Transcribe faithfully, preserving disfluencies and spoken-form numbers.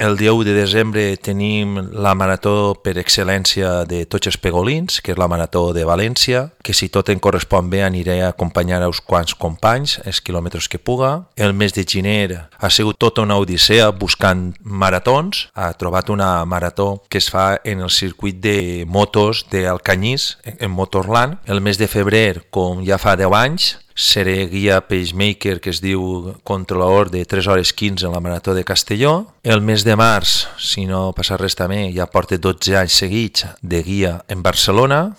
El dia u de desembre tenim la marató per excel·lència de tots els pegolins, que és la marató de València, que si tot em correspon bé aniré a acompanyar a uns quants companys, els quilòmetres que puga. El mes de gener ha sigut tota una odissea buscant maratons. Ha trobat una marató que es fa en el circuit de motos d'Alcanyís, en Motorland. El mes de febrer, com ja fa deu anys, seré guia pacemaker que es diu controlador de tres hores quinze en la marató de Castelló. El mes de març, si no passa res també, ja porta dotze anys seguits de guia en Barcelona.